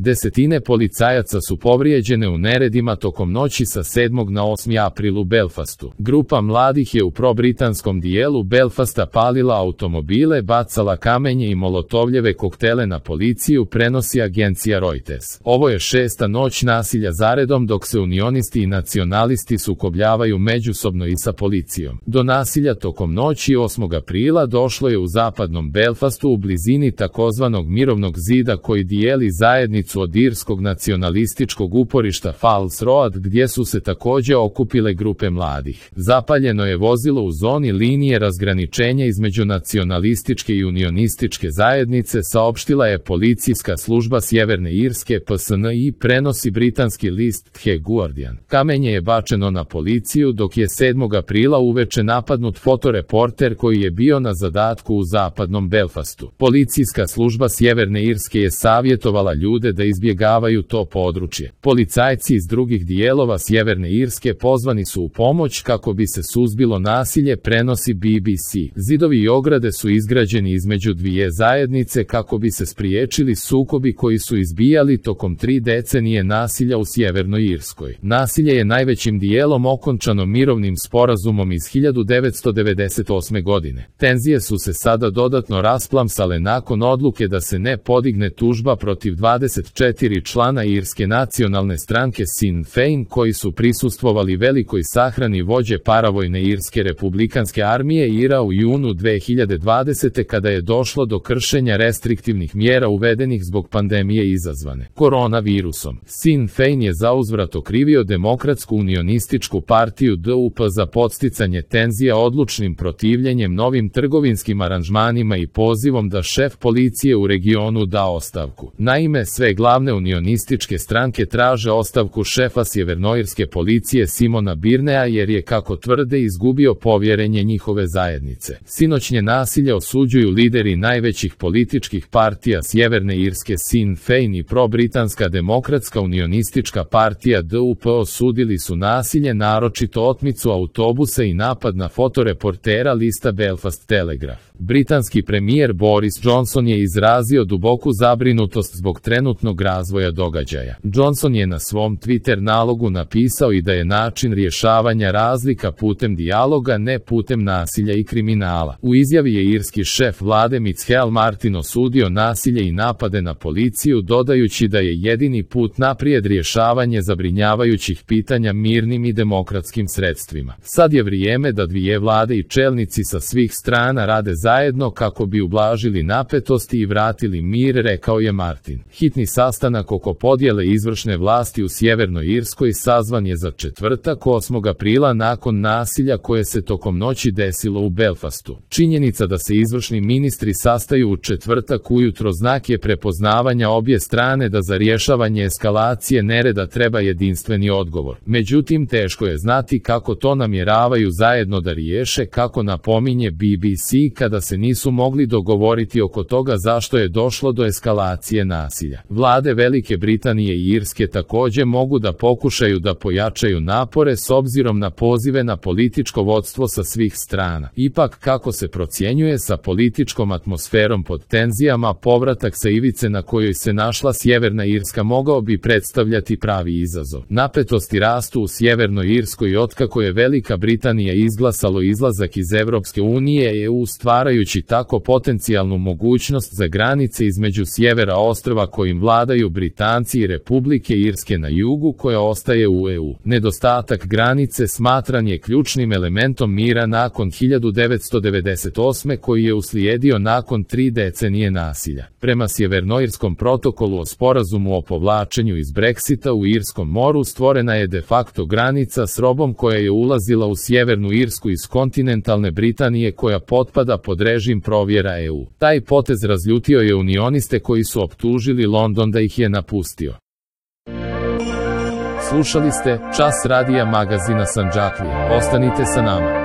Desetine policajaca su povrijeđene u neredima tokom noći sa 7. na 8. april u Belfastu. Grupa mladih je u probritanskom dijelu Belfasta palila automobile, bacala kamenje i molotovljeve koktele na policiju, prenosi agencija Reuters. Ovo je 6. noć nasilja zaredom dok se unionisti i nacionalisti sukobljavaju međusobno i sa policijom. Do nasilja tokom noći 8. aprila došlo je u zapadnom Belfastu u blizini takozvanog mirovnog zida koji dijeli zajednicu od irskog nacionalističkog uporišta Falls Road gdje su se također okupile grupe mladih. Zapaljeno je vozilo u zoni linije razgraničenja između nacionalističke i unionističke zajednice, saopštila je policijska služba Sjeverne Irske PSNI, prenosi britanski list The Guardian. Kamenje je bačeno na policiju dok je 7. aprila uveče napadnut fotoreporter koji je bio na zadatku u zapadnom Belfastu. Policijska služba Sjeverne Irske je savjetovala ljude da izbjegavaju to područje. Policajci iz drugih dijelova Sjeverne Irske pozvani su u pomoć kako bi se suzbilo nasilje, prenosi BBC. Zidovi i ograde su izgrađeni između dvije zajednice kako bi se spriječili sukobi koji su izbijali tokom 3 decenije nasilja u Sjevernoj Irskoj. Nasilje je najvećim dijelom okončano mirovnim sporazumom iz 1998. godine. Tenzije su se sada dodatno rasplamsale nakon odluke da se ne podigne tužba protiv 24 člana irske nacionalne stranke Sinn Féin koji su prisustvovali velikoj sahrani vođe paravojne irske republikanske armije IRA u junu 2020. kada je došlo do kršenja restriktivnih mjera uvedenih zbog pandemije izazvane koronavirusom. Sinn Féin je zauzvrat okrivio Demokratsku unionističku partiju DUP za podsticanje tenzija odlučnim protivljenjem novim trgovinskim aranžmanima i pozivom da šef policije u regionu da ostavku. Naime, sve glavne unionističke stranke traže ostavku šefa sjevernoirske policije Simona Birnea jer je, kako tvrde, izgubio povjerenje njihove zajednice. Sinoćnje nasilje osuđuju lideri najvećih političkih partija Sjeverne Irske Sinn Féin i probritanska Demokratska unionistička partija DUP osudili su nasilje, naročito otmicu autobusa i napad na fotoreportera lista Belfast Telegraph. Britanski premijer Boris Johnson je izrazio duboku zabrinutost zbog trenutnog razvoja događaja. Johnson je na svom Twitter nalogu napisao i da je način rješavanja razlika putem dijaloga, ne putem nasilja i kriminala. U izjavi je irski šef vlade Michael Martin osudio nasilje i napade na policiju, dodajući da je jedini put naprijed rješavanje zabrinjavajućih pitanja mirnim i demokratskim sredstvima. Sad je vrijeme da dvije vlade i čelnici sa svih strana rade zajedno kako bi ublažili napetosti i vratili mir, rekao je Martin. Hitni sastanak oko podjele izvršne vlasti u Sjevernoj Irskoj sazvan je za četvrtak 8. aprila nakon nasilja koje se tokom noći desilo u Belfastu. Činjenica da se izvršni ministri sastaju u četvrtak ujutro znak je prepoznavanja obje strane da za rješavanje eskalacije nereda treba jedinstveni odgovor. Međutim, teško je znati kako to namjeravaju zajedno da riješe, kako napominje BBC, kada se nisu mogli dogovoriti oko toga zašto je došlo do eskalacije nasilja. Vlade Velike Britanije i Irske također mogu da pokušaju da pojačaju napore s obzirom na pozive na političko vodstvo sa svih strana. Ipak, kako se procjenjuje, sa političkom atmosferom pod tenzijama, povratak sa ivice na kojoj se našla Sjeverna Irska mogao bi predstavljati pravi izazov. Napetosti rastu u Sjevernoj Irskoj otkako je Velika Britanija izglasalo izlazak iz Europske unije i EU, stvarajući tako potencijalnu mogućnost za granice između sjevera ostrva kojim vladaju Britanci i Republike Irske na jugu koja ostaje u EU. Nedostatak granice smatran je ključnim elementom mira nakon 1998. koji je uslijedio nakon 3 decenije nasilja. Prema Sjevernoirskom protokolu o sporazumu o povlačenju iz Brexita u Irskom moru stvorena je de facto granica s robom koja je ulazila u Sjevernu Irsku iz kontinentalne Britanije koja potpada pod režim provjera EU. Taj potez razljutio je unioniste koji su optužili London da ih je napustio. Slušali ste Čas radija magazina Sandžaklija. Ostanite sa nama.